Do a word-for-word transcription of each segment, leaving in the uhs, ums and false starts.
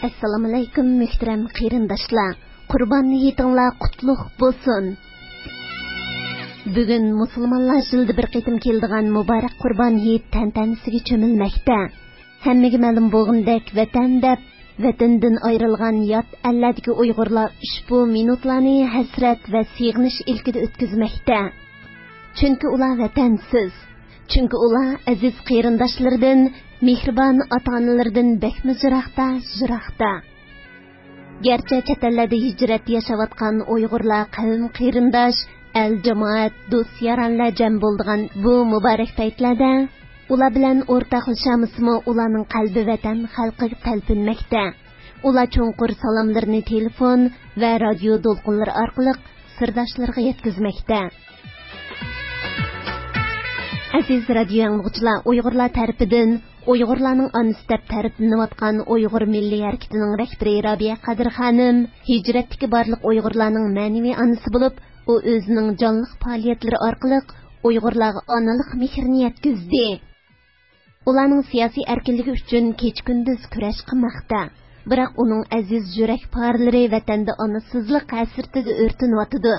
ئەسسالامۇئەلەيكۇم، مۆھتەرەم قېرىنداشلار. قۇربان ھېيتىڭلار قۇتلۇق بولسۇن. بۈگۈن مۇسۇلمانلار يىلدا بىر قېتىم كېلىدىغان مۇبارەك قۇربان ھېيت تەنتەنىسىگە چۆمۈلمەكتە. ھەممىگە مەلۇم بولغىنىدەك، ۋەتەن دەپ، ۋەتىنىدىن ئايرىلغان يات ئەللەردىكى ئۇيغۇرلار ئۇشبۇ مىنۇتلارنى ھەسرەت ۋە سېغىنىش ئىلكىدە ئۆتكۈزمەكتە. چۈنكى ئۇلار ۋەتەنسىز. چۈنكى ئۇلار ئەزىز قېرىنداشلىرىدىن، مېھرىبان ئاتا-ئانىلىرىدىن بەكمۇ يىراقتا، يىراقتا. گەرچە چەت ئەللەردە ھىجرەتتە ياشاۋاتقان ئۇيغۇرلار قەۋم-قېرىنداش، ئەل-جامائەت، دوست-يارانلار جەم بولىدىغان بۇ مۇبارەك پەيتلەردە ئۇلار بىلەن ئورتاقلىشالمىسىمۇ، ئۇلارنىڭ قەلبى ۋەتەن خەلقىگە تەلپۈنمەكتە. ئۇلار چوڭقۇر سالاملىرىنى تېلېفون ۋە رادىيو دولقۇنلىرى ئارقىلىق سىرداشلىرىغا يەتكۈزمەكتە. ئەزىز رادىيو ئاڭلىغۇچىلار، ئۇيغۇرلار تەرىپىدىن ئۇيغۇرلارنىڭ ئانىسى دەپ تەرىپلىنىۋاتقان ئۇيغۇر مىللىي ھەرىكىتىنىڭ رەھبىرى رابىيە قادىر خانىم ھىجرەتتىكى بارلىق ئۇيغۇرلارنىڭ مەنىۋى ئانىسى بولۇپ، ئۇ ئۆزىنىڭ جانلىق پائالىيەتلىرى ئارقىلىق ئۇيغۇرلارغا ئانىلىق مېھرىنى يەتكۈزدى. ئۇلارنىڭ سىياسىي ئەركىنلىكى ئۈچۈن كېچە-كۈندۈز كۈرەش قىلماقتا. بىراق ئۇنىڭ ئەزىز يۈرەك پارىلىرى ۋەتەندە ئانىسىزلىق ھەسرىتىدە ئۆرتىنىۋاتىدۇ.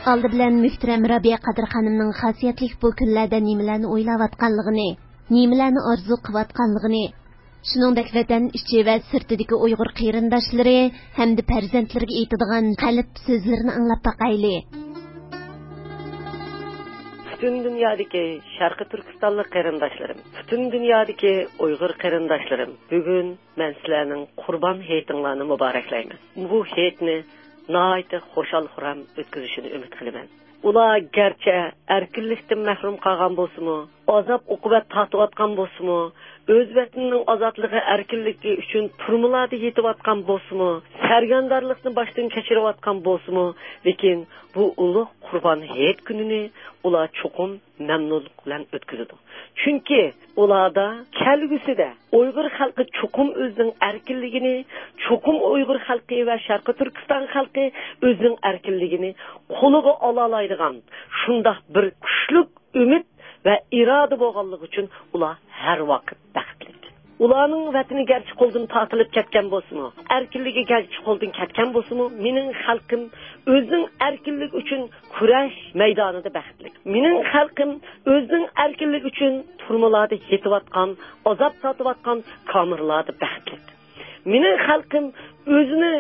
ئالدى بىلەن مۆھتەرەم رابىيە قادىر خانىمنىڭ خاسىيەتلىك بۇ كۈنلەردە نېمىلەرنى ئويلاۋاتقانلىقىنى، نېمىلەرنى ئارزۇ قىلىۋاتقانلىقىنى، شۇنىڭدەك ۋەتەن ئىچى ۋە سىرتىدىكى ئۇيغۇر قېرىنداشلىرى ھەمدە پەرزەنتلىرىگە ئېيتىدىغان قەلب سۆزلىرىنى ئاڭلاپ باقايلى. پۈتۈن دۇنيادىكى شەرقىي تۈركىستانلىق قېرىنداشلىرىم، پۈتۈن دۇنيادىكى ئۇيغۇر قېرىنداشلىرىم، بۈگۈن مەن سىلەرنىڭ قۇربان ھېيتىڭلارنى مۇبارەكلەيمەن. بۇ ھېيتنى ناھايىتى خۇشال-خۇرام ئۆتكۈزۈشىنى ئۈمىد قىلىمەن. ئۇلار گەرچە ئەركىنلىكتىن مەھرۇم قالغان بولسىمۇ، ئازاب-ئوقۇبەت تارتىۋاتقان بولسىمۇ، ئۆز ۋەتىنىنىڭ ئازادلىقى، ئەركىنلىكى ئۈچۈن تۈرمىلەردە يېتىۋاتقان بولسىمۇ، سەرگەردانلىقنى باشتىن كەچۈرۈۋاتقان بولسىمۇ، لېكىن بۇ ئۇلۇغ قۇربان ھېيت كۈنىنى ئۇلار چوقۇم مەمنۇنلۇق بىلەن ئۆتكۈزىدۇ. چۈنكى ئۇلاردا كەلگۈسىدە ئۇيغۇر خەلقى چوقۇم ئۆزىنىڭ ئەركىنلىكىنى، چوقۇم ئۇيغۇر خەلقى ۋە شەرقىي تۈركىستان خەلقى ئۆزىنىڭ ئەركىنلىكىنى قولىغا ئالالايدىغان شۇنداق بىر كۈچلۈك ئۈمىد ۋە ئىرادە بولغانلىقى ئۈچۈن ئۇلار ھەر ۋاقىت بەختلىك. ئۇلارنىڭ ۋەتىنى گەرچە قولدىن تارتىلىپ كەتكەن بولسىمۇ، ئەركىنلىكى گەرچە قولدىن كەتكەن بولسىمۇ، مېنىڭ خەلقىم ئۆزىنىڭ ئەركىنلىكى ئۈچۈن كۈرەش مەيدانىدا بەختلىك. مېنىڭ خەلقىم ئۆزىنىڭ ئەركىنلىكى ئۈچۈن تۈرمىلەردە يېتىۋاتقان، ئازاب تارتىۋاتقان كامېرلاردا بەختلىك. مېنىڭ خەلقىم ئۆزىنى،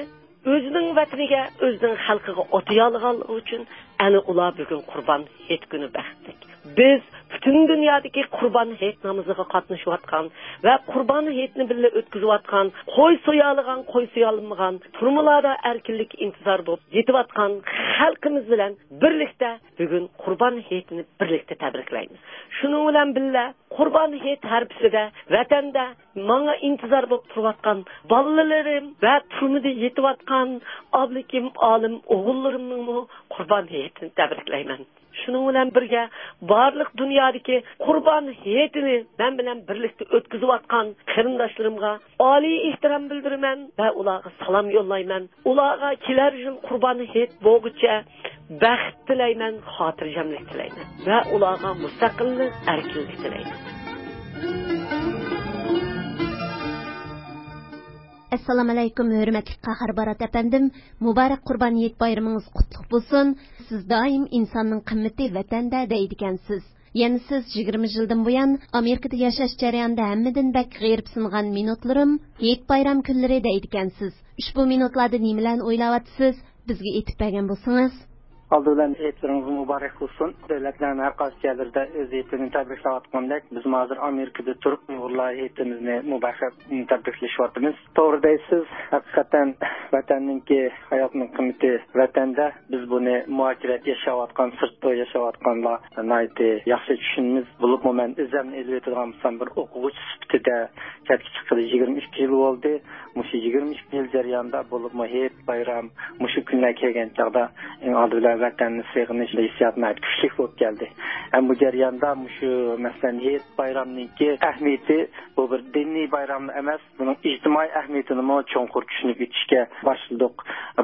ئۆزىنىڭ ۋەتىنىگە، ئۆزىنىڭ خەلقىگە ئاتىيالىغانلىقى ئۈچۈن ئەنە ئۇلار بۈگۈن قۇربان ھېيت كۈنى بەختلىك. بىز پۈتۈن دۇنيادىكى قۇربان ھېيت نامىزىغا قاتنىشىۋاتقان ۋە قۇربان ھېيتنى بىللە ئۆتكۈزۈۋاتقان، قوي سويالىغان، قوي سويالمىغان، تۈرمىلەردە ئەركىنلىككە ئىنتىزار بولۇپ يېتىۋاتقان خەلقىمىز بىلەن بىرلىكتە بۈگۈن قۇربان ھېيتىنى بىرلىكتە تەبرىكلەيمىز. شۇنىڭ بىلەن بىللە، قۇربان ھېيت ھارپىسىدە ۋەتەندە ماڭا ئىنتىزار بولۇپ تۇرۇۋاتقان بالىلىرىم ۋە تۈرمىدە يېتىۋاتقان ئابلىكىم ئالىم ئوغۇللىرىمنىڭمۇ قۇربان ھېيتىنى تەبرىكلەيمەن. شۇنىڭ بىلەن بىرگە، بارلىق دۇنيادىكى قۇربان ھېيتىنى مەن بىلەن بىرلىكتە ئۆتكۈزۈۋاتقان قېرىنداشلىرىمغا ئالىي ئېھتىرام بىلدۈرىمەن ۋە ئۇلارغا سالام يوللايمەن. ئۇلارغا كېلەر يىل قۇربان ھېيت بولغۇچە بەخت تىلەيمەن، خاتىرجەملىك تىلەيمەن ۋە ئۇلارغا مۇستەقىللىق، ئەركىنلىك تىلەيمەن. ئەسسالامۇئەلەيكۇم، ھۆرمەتلىك قاھار بارات ئەپەندىم، مۇبارەك قۇربان ھېيت بايرىمىڭىز قۇتلۇق بولسۇن. سىز دائىم ئىنساننىڭ قىممىتى ۋەتەندە دەيدىكەنسىز. يەنە سىز يىگىرمە يىلدىن بۇيان ئامېرىكىدا ياشاش جەريانىدا ھەممىدىن بەك غېرىبسىنغان مىنۇتلىرىم ھېيت بايرام كۈنلىرى دەيدىكەنسىز. ئۇشبۇ مىنۇتلاردا نېمىلەرنى ئويلاۋاتىسىز؟ بىزگە ئېيتىپ بەرگەن بولسىڭىز. ئالدى بىلەن ھېيتلىرىڭىز مۇبارەك بولسۇن. دۆلەتلەرنىڭ ھەر قايسى يەرلىرىدە ئۆز ھېيتلىرىنى تەبرىكلەۋاتقاندەك، بىزمۇ ھازىر ئامېرىكىدا تۇرۇپ ئۇيغۇرلار ھېيتىمىزنى مۇبارەك تەبرىكلىشىۋاتىمىز. توغرا دەيسىز، ھەقىقەتەن ۋەتەننىڭكى ھاياتنىڭ قىممىتى ۋەتەندە. بىز بۇنى مۇھاجىرەت ياشاۋاتقان، سىرتتا ياشاۋاتقانلار ناھايىتى ياخشى چۈشىنىمىز. بولۇپمۇ مەن ئۆزۈمنى ئېلىۋېتىدىغان بولسام، بىر ئوقۇغۇچى سۈپىتىدە چەتكە چىققىلى يىگىرمە ئىككى يىل بولدى. مۇشۇ يىگىرمە ئىككى يىل جەريانىدا بولۇپمۇ ھېيت، بايرام، مۇشۇ كۈنلەر كەلگەن چاغدا ئەڭ ئالدى بىلەن ۋەتەننى سېغىنىش ھېسسىياتى ناھايىتى كۈچلۈك بولۇپ كەلدى. ھەم بۇ جەرياندا مۇشۇ، مەسىلەن، ھېيت بايرامنىڭكى ئەھمىيىتى، بۇ بىر دىنىي بايرام ئەمەس، بۇنىڭ ئىجتىمائىي ئەھمىيىتىنىمۇ چوڭقۇر چۈشىنىپ يېتىشكە باشلىدۇق.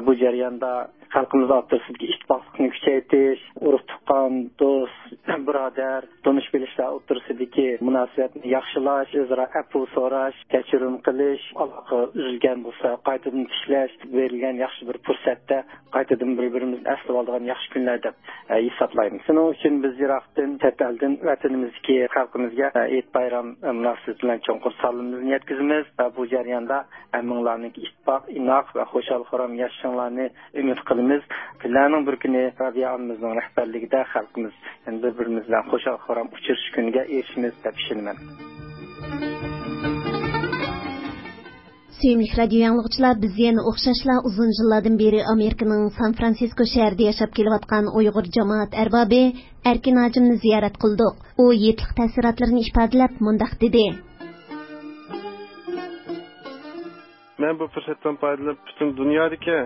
بۇ جەرياندا خەلقىمىز ئوتتۇرىسىدىكى ئىتتىپاقلىقنى كۈچەيتىش، ئۇرۇق-تۇغقان، دوست، بۇرادەر، تونۇش-بىلىشلەر ئوتتۇرىسىدىكى مۇناسىۋەتنى ياخشىلاش، ئۆزئارا ئەپۇ سوراش، كەچۈرۈم قىلىش، ئالاقە ئۈزۈلگەن بولسا قايتىدىن تىكلەش، بېرىلگەن ياخشى بىر پۇرسەتتە قايتىدىن بىر-بىرىمىزنى ئەسلىۋالىدىغان ياخشى كۈنلەر دەپ، ئە، ھېسابلايمىز. شۇنىڭ ئۈچۈن بىز يىراقتىن، چەت ئەلدىن ۋەتىنىمىزدىكى خەلقىمىزگە، ئە، ئېيت بايرام، ئە، مۇناسىۋىتى بىلەن چوڭقۇر سالىمىمىزنى يەتكۈزىمىز ۋە بۇ جەرياندا ھەممىڭلارنىڭكى ئىتتىپاق، ئىناق ۋە خۇشال-خۇرام ياشىشىڭلارنى ئۈمىد قىلىمىز. كۈنلەرنىڭ بىر كۈنى رابىيە ئانىمىزنىڭ رەھبەرلىكىدە خەلقىمىز يەنە بىر-بىرىمىز بىلەن خۇشال-خۇرام ئۇچرىشىش كۈنىگە ئېرىشىمىز دەپ ئىشىنىمەن. سۆيۈملۈك رادىيو ئاڭلىغۇچىلار، بىز يەنە ئوخشاشلا ئۇزۇن يىللاردىن بېرى ئامېرىكىنىڭ سان فرانسىسكو شەھىرىدە ياشاپ كېلىۋاتقان ئۇيغۇر جامائەت ئەربابى ئەركىن ھاجىمنى زىيارەت قىلدۇق. ئۇ ھېيتلىق تەسىراتلىرىنى ئىپادىلەپ مۇنداق دېدى. مەن بۇ پۇرسەتتىن پايدىلىنىپ، پۈتۈن دۇنيادىكى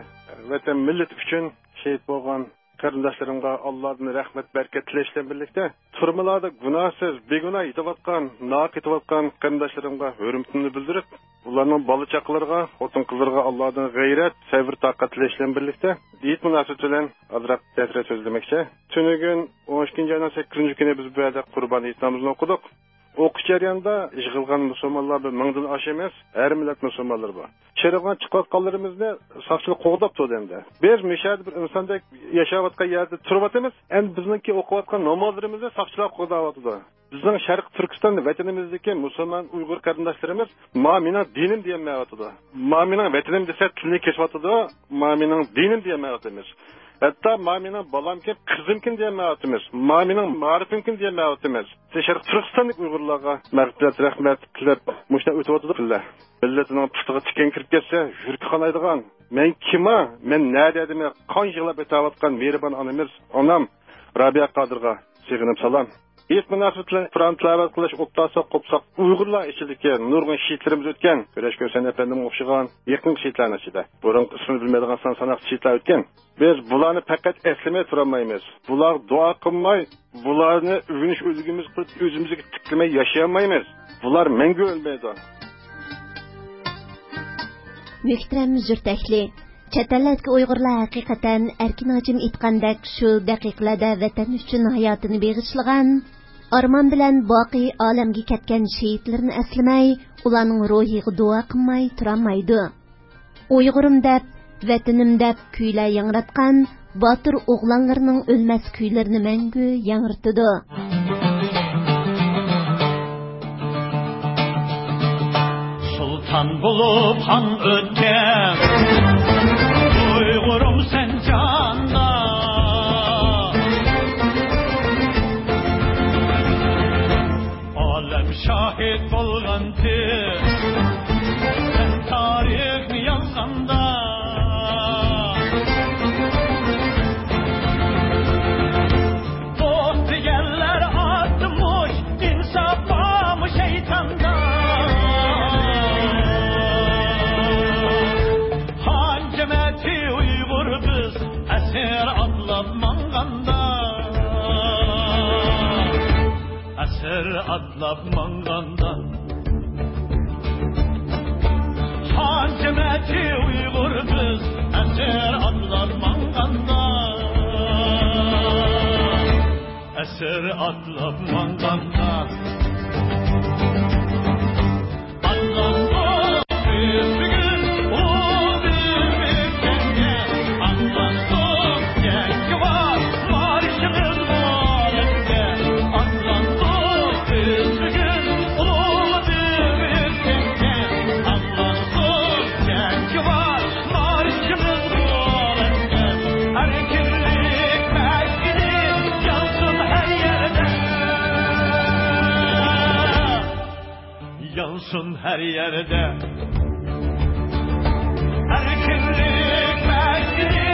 ۋەتەن مىللىتى ئۈچۈن شېھىت بولغان قېرىنداشلىرىمغا ئاللادىن رەھمەت، بەرىكەت تىلەش بىلەن بىرلىكتە، تۈرمىلەردە گۇناھسىز، بىگۇناھ يېتىۋاتقان، ناھەق يېتىۋاتقان قېرىنداشلىرىمغا ھۆرمىتىمنى بىلدۈرۈپ، ئۇلارنىڭ بالا-چاقىلىرىغا، خوتۇن-قىزلىرىغا ئاللادىن غەيرەت، سەۋر-تاقەت تىلەش بىلەن بىرلىكتە، ھېيت مۇناسىۋىتى بىلەن ئازراق تەسىرات سۆزلىمەكچى. تۈنۈگۈن ئون ئىككىنچى ئاينىڭ سەككىزىنچى كۈنى بىز بۇ يەردە قۇربان ھېيت نامىزىنى ئوقۇدۇق. ئوقۇش جەريانىدا يىغىلغان مۇسۇلمانلار بىر مىڭدىن ئاشىمىز، ھەر مىللەت مۇسۇلمانلىرى بار. شەھەرگە چىقىۋاتقانلىرىمىزنى ساقچىلار قوغداپ تۇردى ئەمدى. بىز مۇشۇ يەردە بىر ئىنساندەك ياشاۋاتقان يەردە تۇرۇۋاتىمىز. ئەمدى بىزنىڭكى ئوقۇۋاتقان نامازلىرىمىزنى ساقچىلار قوغداۋاتىدۇ. بىزنىڭ شەرقىي تۈركىستان ۋەتىنىمىزدىكى مۇسۇلمان ئۇيغۇر قېرىنداشلىرىمىز، «ما مېنىڭ دىنىم» دېيەلمەيۋاتىدۇ. «ما مېنىڭ ۋەتىنىم» دېسە، تىلىنى كېسىۋاتىدۇ. «ما مېنىڭ دىنىم» دېيەلمەيۋاتىمىز. ھەتتا «ما مېنىڭ بالامكەن، قىزىمكەن» دېيەلمەيۋاتىمىز. «ما مېنىڭ مائارىپىمكەن» دېيەلمەيۋاتىمىز. شەرقىي تۈركىستاندىكى ئۇيغۇرلارغا مەغپىرەت، رەھمەت تىلەپ، مۇشۇنداق ئۆتۈۋاتىدۇ كۈنلەر. مىللىتىنىڭ پۇتىغا تىكەن كىرىپ كەتسە، يۈرىكى قانايدىغان. مەن كىم ھا؟ مەن نەدە ئىدىم؟ قان يىغلاپ ئېتەۋاتقان مېھرىبان ئانىمىز، ئانام رابىيە قادىرغا سېغىنىپ سالام. ھېيت مۇناسىۋىتى بىلەن قۇرئان تىلاۋەت قىلىش، ئوبدانسا قوپساق، ئۇيغۇرلار ئىچىدىكى نۇرغۇن شېھىتلىرىمىز ئۆتكەن. كۈرەش كۆرسەن ئەپەندىمگە ئوخشىغان يېقىنقى شېھىتلەرنىڭ ئىچىدە. بۇرۇنقى ئىسمىنى بىلمەيدىغان سان ساناقسىز شېھىتلەر ئۆتكەن. بىز بۇلارنى پەقەت ئەسلىمەي تۇرالمايمىز. بۇلارغا دۇئا قىلماي، بۇلارنى ئۆگىنىش ئۈلگىمىز قىلىپ، ئۆزىمىزگە تىكلىمەي ياشىيالمايمىز. بۇلار مەڭگۈ ئۆلمەيدۇ. مۆھتەرەم يۇرت ئەھلى، چەت ئەللەردىكى ئۇيغۇرلار ھەقىقەتەن ئەركىن ھاجىم ئېيتقاندەك شۇ دەقىقىلەردە ۋەتەن ئۈچۈن ھاياتىنى بېغىشلىغان، ئارمان بىلەن باقىي ئالەمگە كەتكەن شېھىتلىرىنى ئەسلىمەي، ئۇلارنىڭ روھىغا دۇئا قىلماي تۇرالمايدۇ. ئۇيغۇرۇم دەپ، ۋەتىنىم دەپ كۈيلەر ياڭراتقان باتۇر ئوغلانلىرىنىڭ ئۆلمەس كۈيلىرىنى مەڭگۈ ياڭرىتىدۇ. سۇلتان بولۇپ خان ئۆتكەن ئۇيغۇرۇم سەن جاندا. ئالەم شاھىت بولغانتى، سەن تارىخنى يازغاندا. دوست دېگەنلەر ئاتمىش، ئىنساپ بارمۇ شەيتاندا؟ خان جەمەتى ئۇيغۇر بىز، ئەسىر ئاتلاپ ماڭغاندا. ئەسىر ئاتلاپ ماڭغاندا، خان جەمەتى ئۇيغۇر بىز، ئەسىر ئاتلاپ ماڭغاندا، ئەسىر ئاتلاپ ماڭغاندا. يانسۇن ھەر يەردە. ئەركىنلىك مەجلى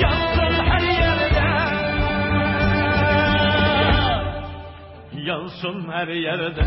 يانسۇن ھەر يەردە. يانسۇن ھەر يەردە.